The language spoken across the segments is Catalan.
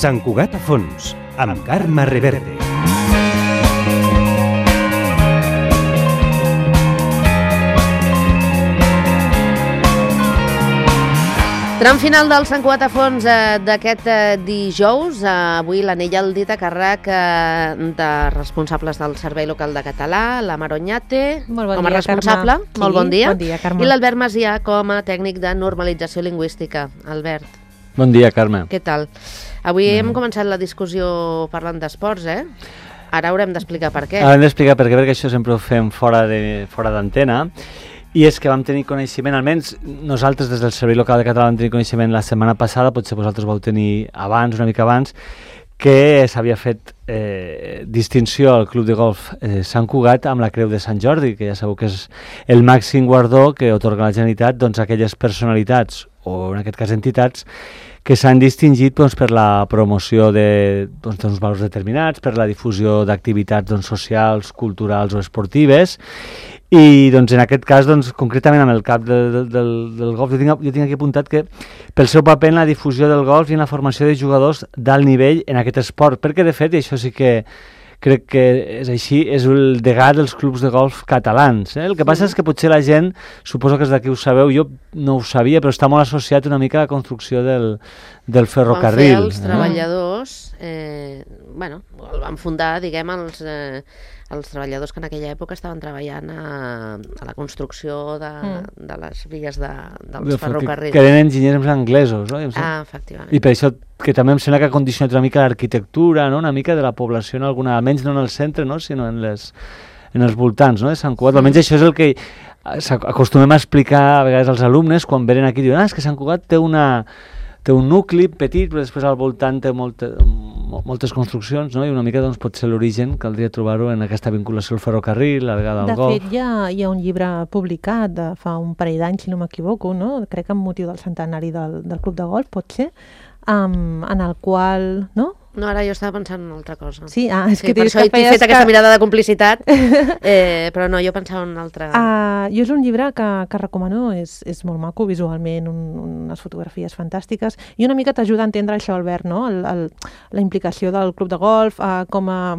Sant Cugat a fons, amb Carme Reverte. Tram final del Sant Cugat a fons d'aquest dijous. Avui l'anell al dit a càrrec de responsables del Servei Local de Català, la Maroñate, com a responsable. Carme. Molt bon dia. Bon dia, Carme. I l'Albert Macià com a tècnic de normalització lingüística. Albert. Bon dia, Carme. Què tal? Avui hem començat la discussió parlant d'esports, Ara haurem d'explicar per què. Haurem d'explicar per què, perquè això sempre ho fem fora d'antena. I és que vam tenir coneixement, almenys nosaltres des del Servei Local de Català vam tenir coneixement la setmana passada, potser vosaltres vau tenir abans, una mica abans, que s'havia fet distinció al Club de Golf Sant Cugat amb la Creu de Sant Jordi, que ja sabeu que és el màxim guardó que otorga la Generalitat a aquelles personalitats, o en aquest cas entitats, que s'han distingit per la promoció d'uns valors determinats, per la difusió d'activitats socials, culturals o esportives. I en aquest cas, concretament amb el cap del golf, jo tinc aquí apuntat que pel seu paper en la difusió del golf i en la formació de jugadors d'alt nivell en aquest esport, perquè de fet, i això sí que crec que és així, és el degà dels clubs de golf catalans. El que passa és que potser la gent, suposo que és d'aquí ho sabeu, jo no ho sabia, però està molt associat una mica a la construcció del ferrocarril. Quan els treballadors, el van fundar, diguem, els treballadors que en aquella època estaven treballant a la construcció de les vies dels ferrocarrils. Que eren enginyers anglesos, no? Efectivament. I per això que també em sembla que ha condicionat una mica l'arquitectura, no? Una mica de la població, almenys no en el centre, no? Sinó en els voltants, no? De Sant Cugat. Almenys això és el que acostumem a explicar a vegades als alumnes quan venen aquí i diuen és que Sant Cugat té un nucli petit, però després al voltant té moltes construccions, no? I una mica potser l'origen caldria trobar-ho en aquesta vinculació al ferrocarril, a vegada al golf. De fet, hi ha un llibre publicat de fa un parell d'anys, si no m'equivoco, no? Crec que amb motiu del centenari del Club de Golf, pot ser, en el qual, no? No, ara jo estava pensant en una altra cosa. Sí, és que per això he fet aquesta mirada de complicitat, però no, jo pensava en una altra. Jo és un llibre que recomano, és molt maco visualment, unes fotografies fantàstiques, i una mica t'ajuda a entendre això, Albert, no? La implicació del club de golf, com ha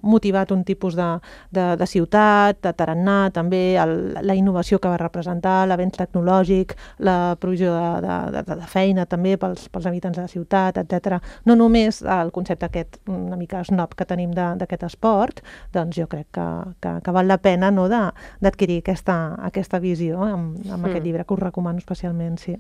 motivat un tipus de ciutat, de tarannà, també la innovació que va representar, l'avenç tecnològic, la provisió de feina també pels habitants de la ciutat, etc. No només el concepte aquest una mica snob que tenim d'aquest esport, doncs jo crec que val la pena, no, d'adquirir aquesta visió amb aquest llibre, que us recomano especialment, sí.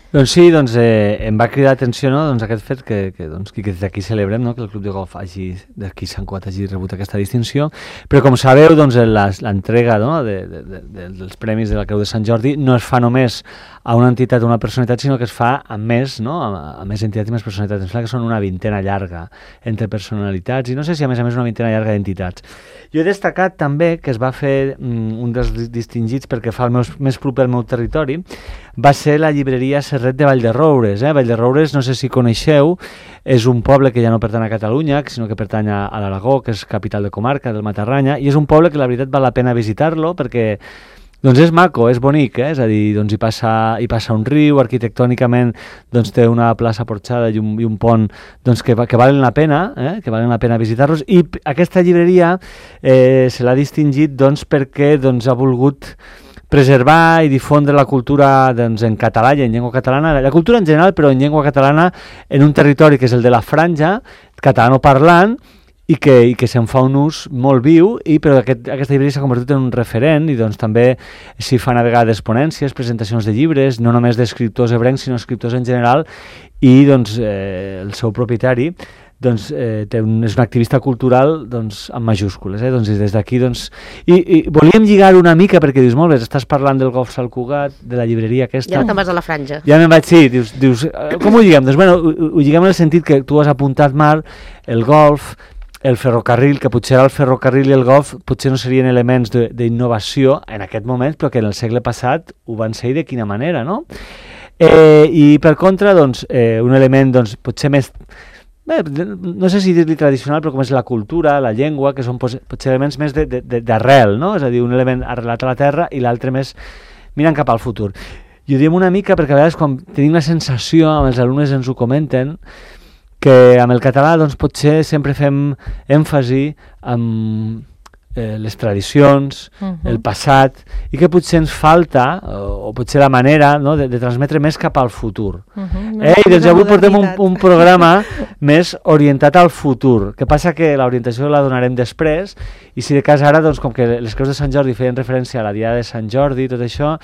Doncs sí, em va cridar l'atenció, no, aquest fet que des d'aquí celebrem, no, que el Club de Golf d'aquí Sant Cugat hagi rebut aquesta distinció, però com sabeu, l'entrega, no, dels premis de la Creu de Sant Jordi no es fa només a una entitat o una personalitat, sinó que es fa a més, no, a més entitats i més personalitats. Em sembla que són una vintena llarga entre personalitats i no sé si a més una vintena llarga d'entitats. Jo he destacat també que es va fer un dels distingits perquè fa més proper al meu territori, va ser la llibreria Serret de Vallderoures. Vallderoures, no sé si coneixeu, és un poble que ja no pertany a Catalunya, sinó que pertany a l'Aragó, que és capital de comarca, del Matarranya, i és un poble que la veritat val la pena visitar-lo perquè és maco, és bonic, és a dir, hi passa un riu, arquitectònicament té una plaça porxada i un pont que valen la pena visitar-los, i aquesta llibreria se l'ha distingit perquè ha volgut preservar i difondre la cultura en català i en llengua catalana, la cultura en general, però en llengua catalana en un territori que és el de la Franja, catalanoparlant, i que se'n fa un ús molt viu, però aquesta llibreria s'ha convertit en un referent i també s'hi fan a vegades ponències, presentacions de llibres, no només d'escriptors ebrencs, sinó escriptors en general, i el seu propietari és un activista cultural amb majúscules, des d'aquí i volíem lligar una mica perquè dius, molt bé, estàs parlant del golf Sant Cugat, de la llibreria aquesta, ja no te'n vas a la Franja, ja me'n vaig, sí, dius com ho lliguem? Doncs ho lliguem en el sentit que tu has apuntat, Marc, el golf, el ferrocarril, que potser el ferrocarril i el golf potser no serien elements d'innovació en aquest moment, però que en el segle passat ho van ser i de quina manera, no? I per contra, un element potser més, no sé si dir-li tradicional, però com és la cultura, la llengua, que són potser elements més d'arrel, no? És a dir, un element arrelat a la terra i l'altre més mirant cap al futur. I ho diem una mica perquè a vegades quan tenim la sensació, amb els alumnes ens ho comenten, que amb el català doncs, potser sempre fem èmfasi en les tradicions, el passat, i que potser ens falta, o potser la manera, no, de transmetre més cap al futur. I doncs avui portem un programa més orientat al futur. Que passa que l'orientació la donarem després, i si de cas ara, doncs, com que les creus de Sant Jordi feien referència a la Diada de Sant Jordi i tot això,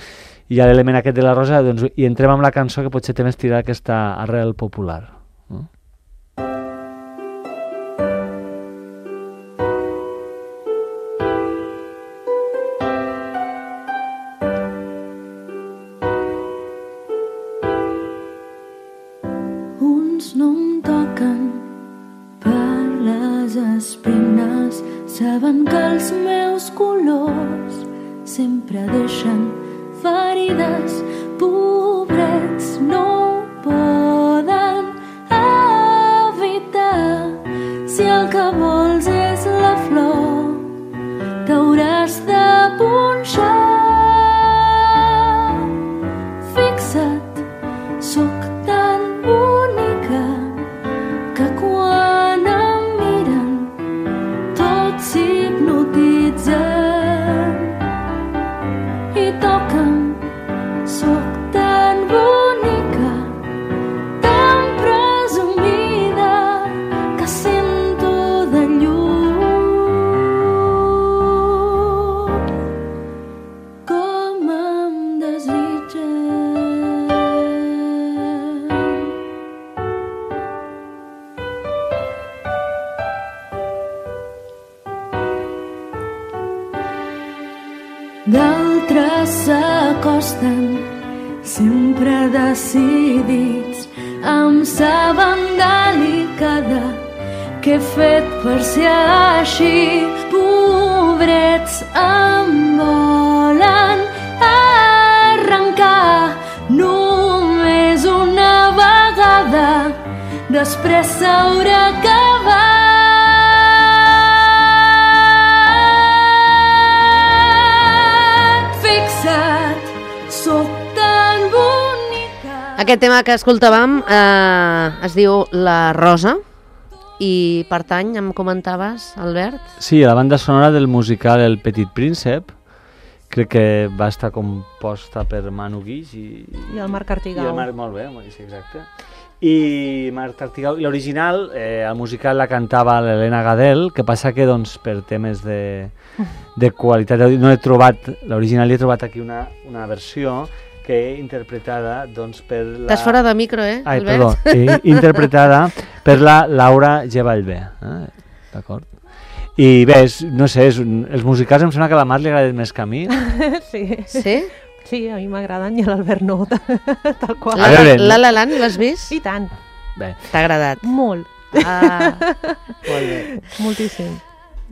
i a l'element aquest de la rosa, doncs, i entrem amb la cançó que potser té més tirada aquesta arrel popular. No? Saben que els meus colors sempre deixen ferides, pobrets no ho poden evitar. Si el que vols és la flor, t'hauràs de punxar. Fixa't, sóc tan bonica que quan em miren s'hipnotitzen i toca'm. Sóc tan bonica, tan presumida, que sento de lluny com em desitgen. D'altres s'acosten, sempre decidits, em saben delicada, que he fet per ser així. Pobrets em volen arrencar només una vegada, després s'haurà acabat. Aquest tema que escoltàvem es diu La Rosa i pertany, em comentaves, Albert? Sí, a la banda sonora del musical El Petit Príncep. Crec que va estar composta per Manu Guix i el Marc Artigau. I el Marc, molt bé, sí, exacte. I Marc Artigau, i l'original, el musical la cantava l'Helena Gadel, que passa que doncs, per temes de qualitat no he trobat l'original, he trobat aquí una versió que he interpretada doncs, per la... Estàs fora de micro, Albert? Perdó, interpretada per la Laura G. Vallvé. D'acord? I bé, no sé, els musicals em sembla que a la Mar li agraden més que a mi. Sí. Sí? Sí, a mi m'agraden i a l'Albert no, tal qual. La La Land l'has vist? I tant. Bé. T'ha agradat? Molt. Molt bé. Moltíssim.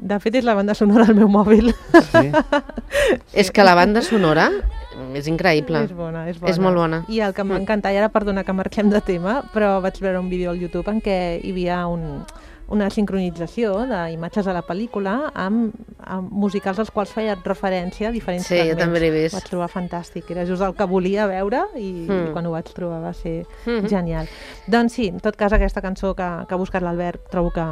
De fet, és la banda sonora al meu mòbil. Sí? És que la banda sonora és increïble. És bona. És molt bona. I el que m'encanta, i ara perdona que marquem de tema, però vaig veure un vídeo al YouTube en què hi havia una sincronització d'imatges de la pel·lícula amb musicals als quals feia referència a diferents fragments. Sí, jo també l'he vist. Ho vaig trobar fantàstic. Era just el que volia veure i quan ho vaig trobar va ser genial. Doncs sí, en tot cas, aquesta cançó que ha buscat l'Albert trobo que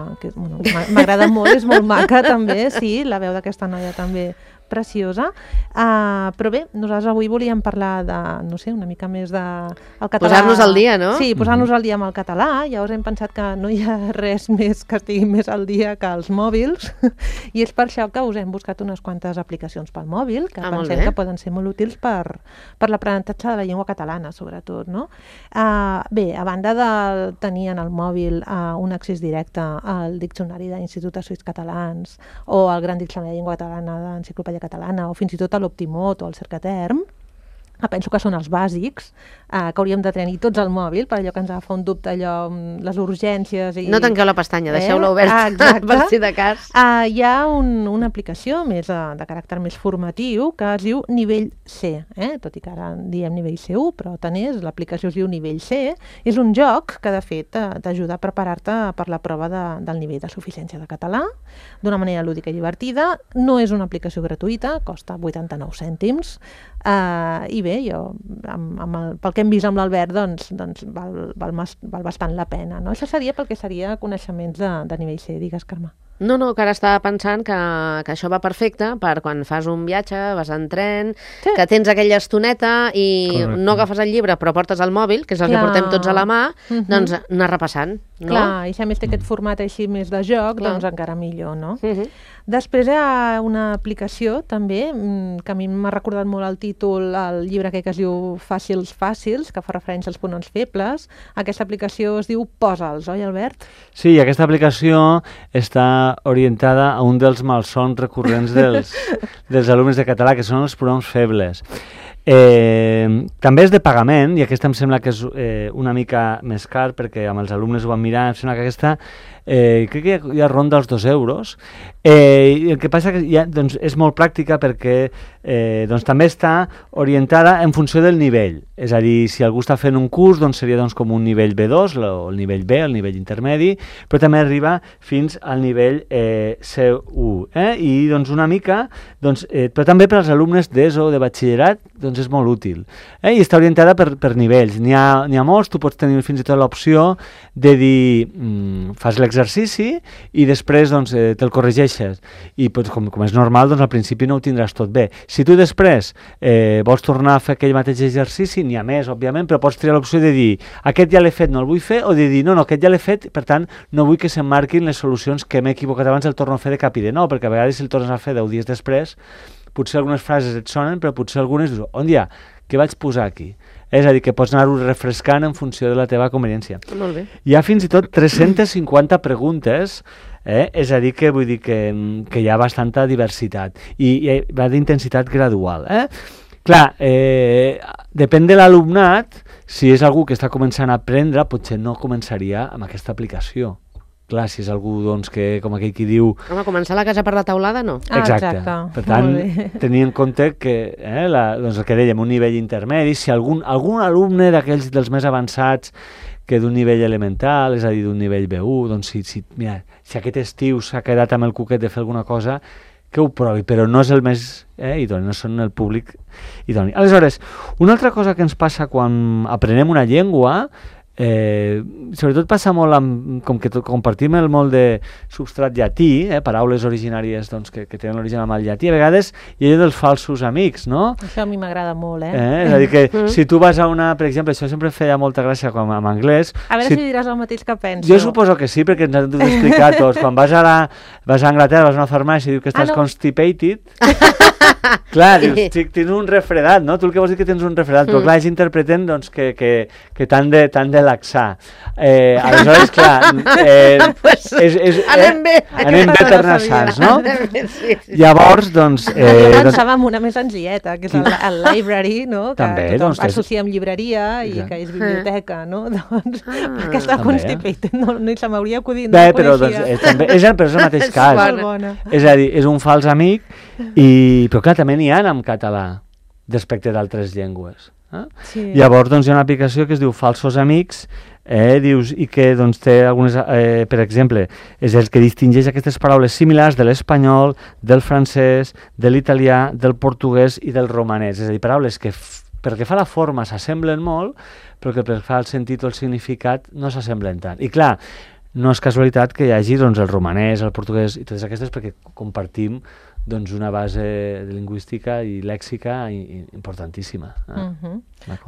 m'agrada molt, és molt maca també, sí, la veu d'aquesta noia també preciosa, però bé, nosaltres avui volíem parlar de, no sé, una mica més del català. Posar-nos al dia, no? Sí, posar-nos al dia amb el català. Llavors hem pensat que no hi ha res més que estigui més al dia que els mòbils, i és per això que us hem buscat unes quantes aplicacions pel mòbil, que pensem que poden ser molt útils per l'aprenentatge de la llengua catalana, sobretot, no? Bé, a banda de tenir en el mòbil un accés directe al Diccionari d'Institut de Suïts Catalans o al Gran Diccionari de Llengua Catalana d'Enciclopèdia Catalana o fins i tot a l'Optimot o al Cercaterm, penso que són els bàsics que hauríem de tenir tots al mòbil, per allò que ens agafa un dubte, allò, les urgències... I... No tanqueu la pestanya, deixeu-la oberta, per si de cas. Hi ha una aplicació més de caràcter més formatiu que es diu Nivell C, tot i que ara diem nivell C1, però tant és, l'aplicació es diu Nivell C. És un joc que, de fet, t'ajuda a preparar-te per la prova del nivell de suficiència de català, d'una manera lúdica i divertida. No és una aplicació gratuïta, costa 89 cèntims, i bé, bé, pel que hem vist amb l'Albert, doncs val bastant la pena, no? Això seria pel que seria coneixements de nivell C, digues, Carme. No, que ara estava pensant que això va perfecte per quan fas un viatge, vas en tren, que tens aquella estoneta i no agafes el llibre però portes el mòbil, que és el que portem tots a la mà, doncs anar repassant, no? Clar, i si a més té aquest format així més de joc, doncs encara millor, no? Després hi ha una aplicació també, que a mi m'ha recordat molt el títol, el llibre que es diu Fàcils, que fa referència als pronoms febles. Aquesta aplicació es diu Posa'ls, oi, Albert? Sí, aquesta aplicació està orientada a un dels malsons recurrents dels alumnes de català, que són els pronoms febles. També és de pagament, i aquesta em sembla que és una mica més car, perquè amb els alumnes ho van mirar, em sembla que aquesta crec que ja ronda els 2 euros. El que passa que doncs, és molt pràctica perquè doncs, també està orientada en funció del nivell. És a dir, si algú està fent un curs, doncs seria com un nivell B2, el nivell B, el nivell intermedi, però també arriba fins al nivell C1. I doncs una mica, però també per als alumnes d'ESO, de batxillerat, doncs és molt útil. I està orientada per nivells. N'hi ha molts, tu pots tenir fins i tot l'opció de dir, fas l'exercici i després doncs, te'l corregeixes. I com és normal, doncs al principi no ho tindràs tot bé. Si tu després vols tornar a fer aquell mateix exercici, n'hi ha més, òbviament, però pots triar l'opció de dir, aquest ja l'he fet, no el vull fer, o de dir, no, aquest ja l'he fet, per tant, no vull que se'm marquin les solucions que m'he equivocat abans, el torno a fer de cap i de nou, perquè a vegades si el tornes a fer 10 dies després, potser algunes frases et sonen, però potser algunes dius, on ja, què vaig posar aquí? És a dir, que pots anar-ho refrescant en funció de la teva conveniència. Molt bé. Hi ha fins i tot 350 preguntes, és a dir, que vull dir que hi ha bastanta diversitat i va d'intensitat gradual. Clar, depèn de l'alumnat, si és algú que està començant a aprendre, potser no començaria amb aquesta aplicació. Clar, si és algú doncs, que, com aquell qui diu... Home, començar la casa per la taulada, no. Exacte. Per tant, tenir en compte que, doncs el que dèiem, un nivell intermedi, si algun alumne d'aquells dels més avançats que d'un nivell elemental, és a dir, d'un nivell B1, doncs si aquest estiu s'ha quedat amb el cuquet de fer alguna cosa, que ho provi, però no és el més idoni, no són el públic idoni. Aleshores, una altra cosa que ens passa quan aprenem una llengua, sobretot passa molt com que compartim el molt de substrat llatí, paraules originàries doncs, que tenen l'origen amb el llatí, a vegades hi ha dels falsos amics, no? Això a mi m'agrada molt, És a dir, que si tu vas a una... Per exemple, això sempre feia molta gràcia com en anglès. A veure si diràs el mateix que penso. Jo suposo que sí, perquè ens han d'explicar tots. Quan vas a Anglaterra, vas a una farmàcia i dius que estàs constipated... Clar, dius, tens un refredat, no? Tu el que vols dir que tens un refredat, però clar, ells interpreten doncs, que t'han de laxar. Aleshores, clar... Anem bé per anar sants, no? Sí. Llavors, doncs... Jo pensava en una més senzilleta, que és el library, no? Que també, tothom doncs, associa amb llibreria i que és biblioteca, no? Doncs aquesta constipated no se m'hauria acudit. Bé, però també és el mateix cas. És a dir, és un fals amic, però clar, també n'hi ha en català respecte d'altres llengües. Sí. Llavors doncs, hi ha una aplicació que es diu Falsos Amics, dius, i que doncs, té algunes, per exemple, és el que distingeix aquestes paraules similars de l'espanyol, del francès, de l'italià, del portuguès i del romanès. És a dir, paraules que pel que fa a la forma s'assemblen molt, però que pel que fa al sentit o el significat no s'assemblen tant. I clar, no és casualitat que hi hagi doncs, el romanès, el portuguès i totes aquestes, perquè compartim doncs, una base lingüística i lèxica importantíssima.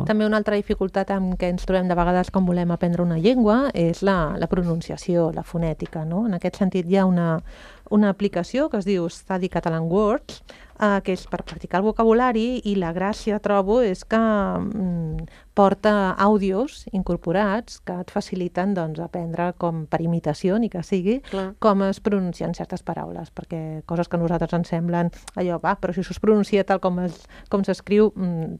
També una altra dificultat amb què ens trobem de vegades quan volem aprendre una llengua és la pronunciació, la fonètica. No? En aquest sentit hi ha una aplicació que es diu Study Catalan Words, que és per practicar el vocabulari, i la gràcia, trobo, és que porta àudios incorporats que et faciliten doncs, aprendre com per imitació, ni que sigui, com es pronuncien certes paraules, perquè coses que a nosaltres ens semblen allò, però si això es pronuncia tal com s'escriu,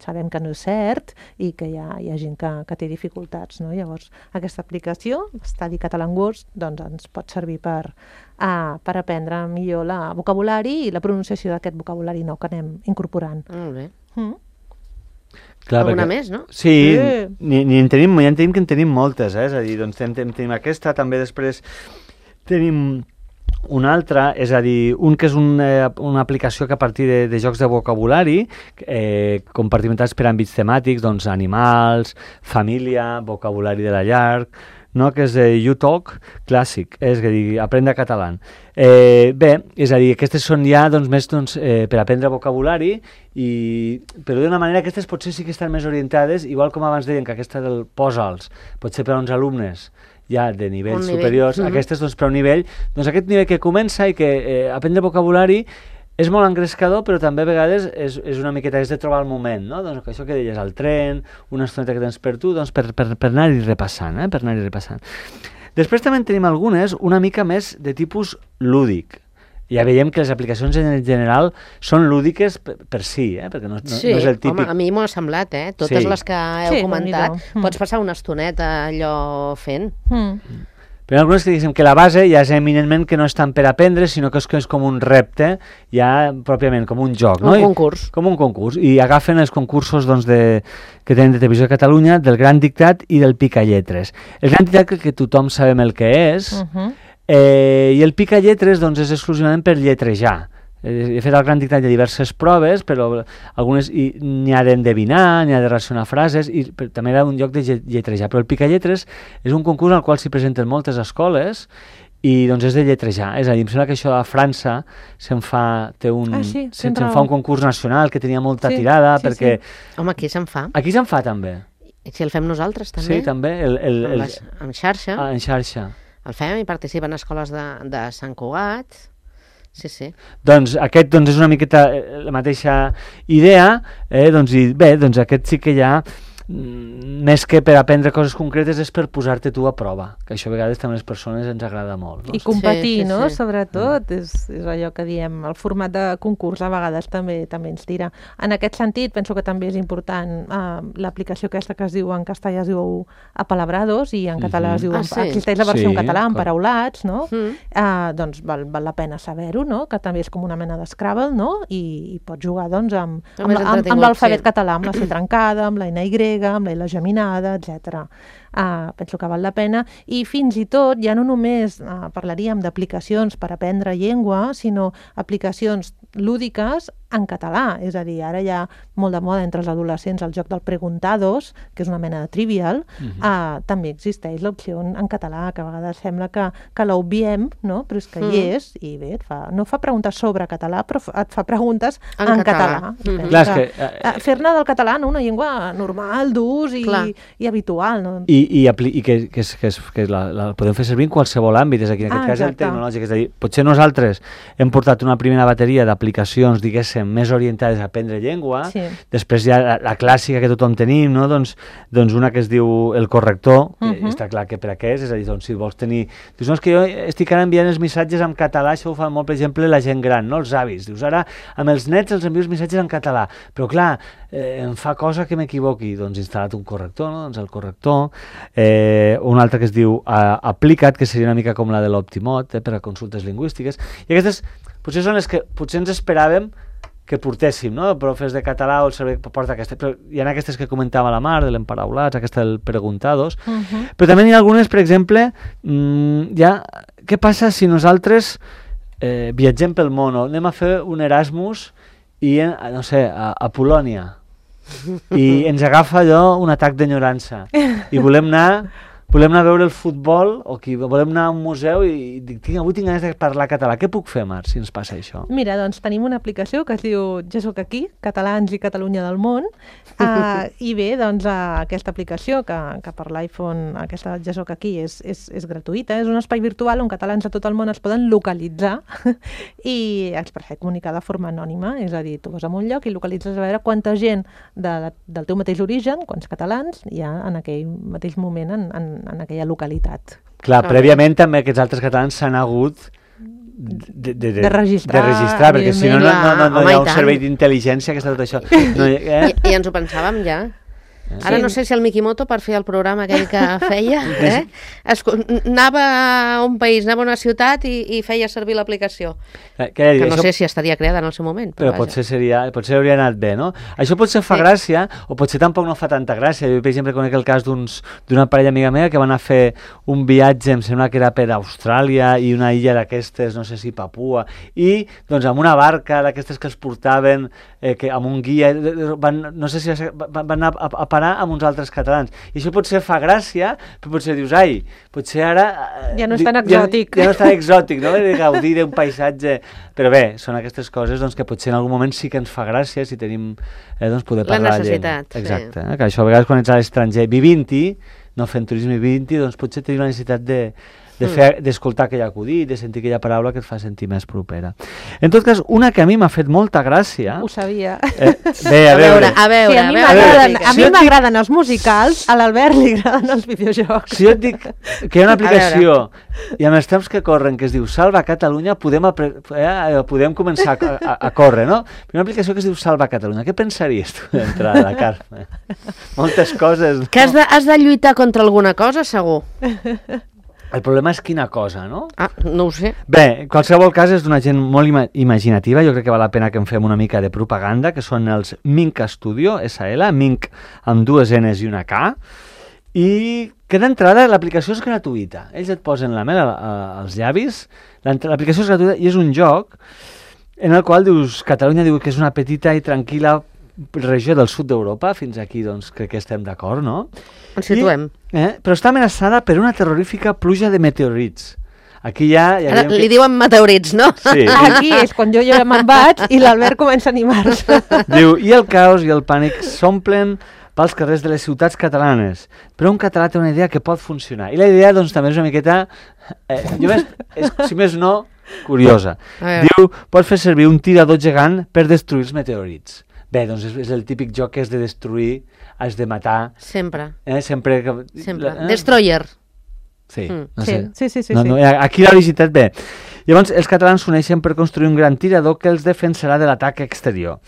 sabem que no és cert i que hi ha gent que té dificultats. No? Llavors, aquesta aplicació, Study Catalan Words, doncs, ens pot servir per aprendre millor el vocabulari i la pronunciació d'aquest vocabulari nou que anem incorporant. Molt bé. Clar, alguna més, no? Sí, ja en tenim moltes, és a dir, doncs tenim aquesta, també després tenim Un altre, és a dir, un que és una aplicació que a partir de jocs de vocabulari compartimentats per àmbits temàtics, doncs animals, família, vocabulari de la llar, no? Que és YouTalk Clàssic, és a dir, aprendre català. Bé, és a dir, aquestes són ja doncs, més per aprendre vocabulari, però d'una manera aquestes potser sí que estan més orientades, igual com abans deien que aquesta del posa'ls, potser per a uns alumnes ja de nivells superiors, aquestes doncs, per a un nivell, doncs aquest nivell que comença i que aprendre vocabulari és molt engrescador, però també a vegades és una miqueta, és de trobar el moment, no? Doncs això que deies, al tren, una estoneta que tens per tu, doncs per anar-hi repassant, per anar-hi repassant. Després també en tenim algunes una mica més de tipus lúdic. Ja veiem que les aplicacions en general són lúdiques per si, perquè no és el típic... Home, a mi m'ho ha semblat, totes les que heu comentat, pots passar una estoneta allò fent. Però hi ha algunes que diguem que la base ja és eminentment que no és tant per aprendre, sinó que és com un repte, ja pròpiament, com un joc. Un concurs. Com un concurs. I agafen els concursos que tenen de Televisió de Catalunya, del Gran Dictat i del Picalletres. El Gran Dictat que tothom sabem el que és, i el Picalletres doncs, és exclusivament per lletrejar. He fet el Gran Dictat de diverses proves, però algunes n'hi ha d'endevinar, n'hi ha de relacionar frases, i també era un lloc de lletrejar. Però el Picalletres és un concurs al qual s'hi presenten moltes escoles i doncs és de lletrejar. És a dir, em sembla que això a França se'n fa un concurs nacional que tenia molta tirada, perquè... Home, aquí se'n fa. Aquí se'n fa també. I si el fem nosaltres també? Sí, també. En xarxa. En xarxa. El fem i participen escoles de Sant Cugat. Sí. Doncs aquest és una miqueta la mateixa idea, doncs aquest sí que ja més que per aprendre coses concretes és per posar-te tu a prova, que això a vegades també a les persones ens agrada molt. No? I competir, no? Sobretot, és allò que diem, el format de concurs a vegades també ens tira. En aquest sentit, penso que també és important l'aplicació aquesta que es diu en castellà es diu Apalabrados i en català es diu, existeix la versió en català, Emparaulats, no? Doncs val la pena saber-ho, no? Que també és com una mena d'Scrabble, no? I pots jugar doncs amb l'alfabet català, amb la C trencada, amb la NY, amb la geminada, etc. Penso que val la pena. I fins i tot, ja no només parlaríem d'aplicacions per aprendre llengua, sinó aplicacions lúdiques en català. És a dir, ara hi ha molt de moda entre els adolescents el joc del Preguntados, que és una mena de trivial. També existeix l'opció en català, que a vegades sembla que l'obviem, no? Però és que hi és, i bé, no fa preguntes sobre català, però et fa preguntes en català. Fer-ne del català una llengua normal, d'ús i habitual. No? I que la podem fer servir en qualsevol àmbit, és aquí, en aquest cas el tecnològic. És a dir, potser nosaltres hem portat una primera bateria d'aplicacions, diguéssim, més orientades a aprendre llengua, després hi ha la clàssica que tothom tenim, no? Doncs una que es diu el corrector, està clar que per a què és a dir, doncs si vols tenir... Dius, no, és que jo estic ara enviant els missatges en català, això ho fa molt, per exemple, la gent gran, no? Els avis. Dius, ara amb els nets els envio els missatges en català, però clar, em fa cosa que m'equivoqui, doncs instal·lat un corrector, no? Doncs el corrector, un altre que es diu Aplica't, que seria una mica com la de l'Optimot, per a consultes lingüístiques, i aquestes potser són les que potser ens esperàvem que portéssim, no? Profes de català o el servei porta aquestes, però hi ha aquestes que comentava la Mar, de l'Emparaulats, aquesta del Preguntados, però també hi ha algunes, per exemple, què passa si nosaltres viatgem pel món, anem a fer un Erasmus i, no sé, a Polònia, i ens agafa allò un atac d'enyorança i volem anar a veure el futbol o volem anar a un museu i dic, avui tinc ganes de parlar català. Què puc fer, Mar, si ens passa això? Mira, doncs tenim una aplicació que es diu Ja soc aquí, Catalans i Catalunya del món, i bé, doncs aquesta aplicació que per l'iPhone, aquesta Ja soc aquí, és gratuïta, és un espai virtual on catalans de tot el món es poden localitzar i expressar i comunicar de forma anònima, és a dir, tu vas a un lloc i localitzes a veure quanta gent del teu mateix origen, quants catalans hi ha en aquell mateix moment en aquella localitat. Clar, prèviament també aquests altres catalans s'han hagut de registrar, perquè si no hi ha un servei d'intel·ligència que està tot això. I ens ho pensàvem ja. Ara no sé si el Mikimoto, per fer el programa aquell que feia, anava a un país, anava a una ciutat i feia servir l'aplicació. Que no sé si estaria creada en el seu moment. Però potser hauria anat bé, no? Això potser fa gràcia, o potser tampoc no fa tanta gràcia. Jo, per exemple, conec el cas d'una parella amiga meva que van a fer un viatge, em sembla que era per Austràlia i una illa d'aquestes, no sé si Papua, i doncs amb una barca d'aquestes que els portaven, amb un guia, no sé si van anar a parar amb uns altres catalans. I això potser fa gràcia, però potser dius, potser ara... Ja no és tan exòtic. Ja no és tan exòtic, no? De gaudir d'un paisatge... Però bé, són aquestes coses que potser en algun moment sí que ens fa gràcia si tenim poder parlar la llengua. La necessitat. Exacte. Que això a vegades quan ets a l'estranger vivint-hi, no fent turisme vivint-hi, doncs potser tenim la necessitat d'escoltar aquell acudit, de sentir aquella paraula que et fa sentir més propera. En tot cas, una que a mi m'ha fet molta gràcia... Ho sabia. Bé, a veure. Sí, a mi m'agraden els musicals, a l'Albert li agraden els videojocs. Si jo et dic que hi ha una aplicació i amb els temps que corren que es diu Salva Catalunya, podem començar a córrer, no? Una aplicació que es diu Salva Catalunya. Què pensaries tu d'entrada, Carme? Moltes coses. Que has de lluitar contra alguna cosa, segur. El problema és quina cosa, no? No ho sé. Bé, en qualsevol cas és d'una gent molt imaginativa, jo crec que val la pena que en fem una mica de propaganda, que són els Mink Studio, SL, Mink amb 2 N's i una K, i que d'entrada l'aplicació és gratuïta. Ells et posen la mel als llavis, l'aplicació és gratuïta i és un joc en el qual dius, Catalunya diu que és una petita i tranquil·la regió del sud d'Europa, fins aquí doncs crec que estem d'acord, no? Ens situem. Però està amenaçada per una terrorífica pluja de meteorits. Aquí ja ara li diuen meteorits, no? Sí. Aquí és quan jo me'n vaig i l'Albert comença a animar-se. Diu, i el caos i el pànic s'omplen pels carrers de les ciutats catalanes, però un català té una idea que pot funcionar. I la idea, doncs, també és una miqueta, si més no, curiosa. Diu, pot fer servir un tirador gegant per destruir els meteorits. Bé, doncs és el típic joc que has de destruir, has de matar... Sempre. Sempre. Destroyer. Sí. Sí. Aquí la visitat, bé. Llavors, els catalans s'uneixen per construir un gran tirador que els defensarà de l'atac exterior.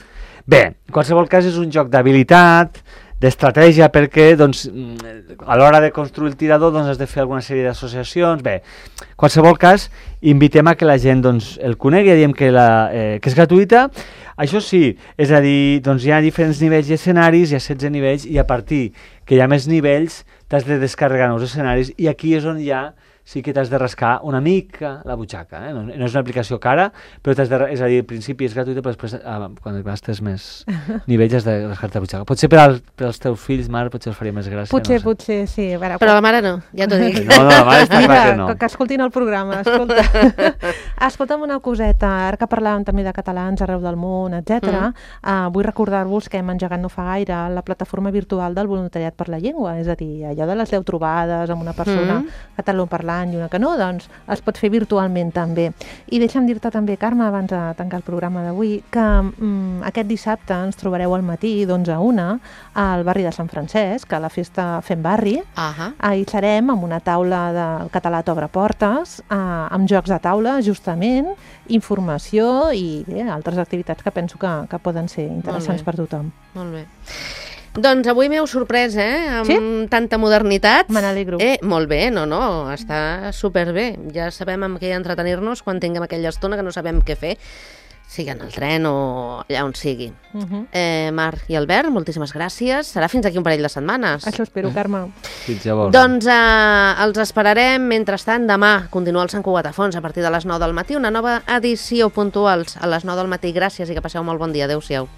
Bé, en qualsevol cas és un joc d'habilitat, d'estratègia, perquè doncs, a l'hora de construir el tirador doncs, has de fer alguna sèrie d'associacions. Bé, en qualsevol cas, invitem a que la gent doncs, el conegui, ja diem que és gratuïta. Això sí, és a dir, doncs hi ha diferents nivells i escenaris, hi ha 16 nivells, i a partir que hi ha més nivells t'has de descarregar nous escenaris, i aquí és on sí que t'has de rascar una mica la butxaca. No és una aplicació cara, però és a dir, al principi és gratuïta, però després, quan gastes més nivells, has de rascar-te la butxaca. Potser per als teus fills, mare, potser els faria més gràcia. Potser, sí. Però la mare no, ja t'ho dic. No, la mare està clar que no. Que escoltin el programa, escolta. Escolta'm una coseta, ara que parlàvem també de catalans arreu del món, etc. Vull recordar-vos que hem engegat no fa gaire la plataforma virtual del voluntariat per la llengua, és a dir, allò de les 10 trobades amb una persona catalanoparlant i una que no, doncs es pot fer virtualment també. I deixa'm dir-te també, Carme, abans de tancar el programa d'avui, que aquest dissabte ens trobareu al matí d'11 a 1 al barri de Sant Francesc, a la festa Fem Barri. Hi serem amb una taula del català t'obre portes, amb jocs de taula, justament, informació i bé, altres activitats que penso que poden ser interessants per tothom. Molt bé. Doncs avui m'heu sorprès, amb tanta modernitat. Me n'alegro. Molt bé, no, està superbé. Ja sabem amb què entretenir-nos quan tinguem aquella estona que no sabem què fer, sigui en el tren o allà on sigui. Marc i Albert, moltíssimes gràcies. Serà fins aquí un parell de setmanes. Això espero, Carme. Fins llavors. Doncs els esperarem. Mentrestant, demà continua el Sant Cugat a Fons a partir de les 9 del matí. Una nova edició puntuals a les 9 del matí. Gràcies i que passeu molt bon dia. Adéu-siau.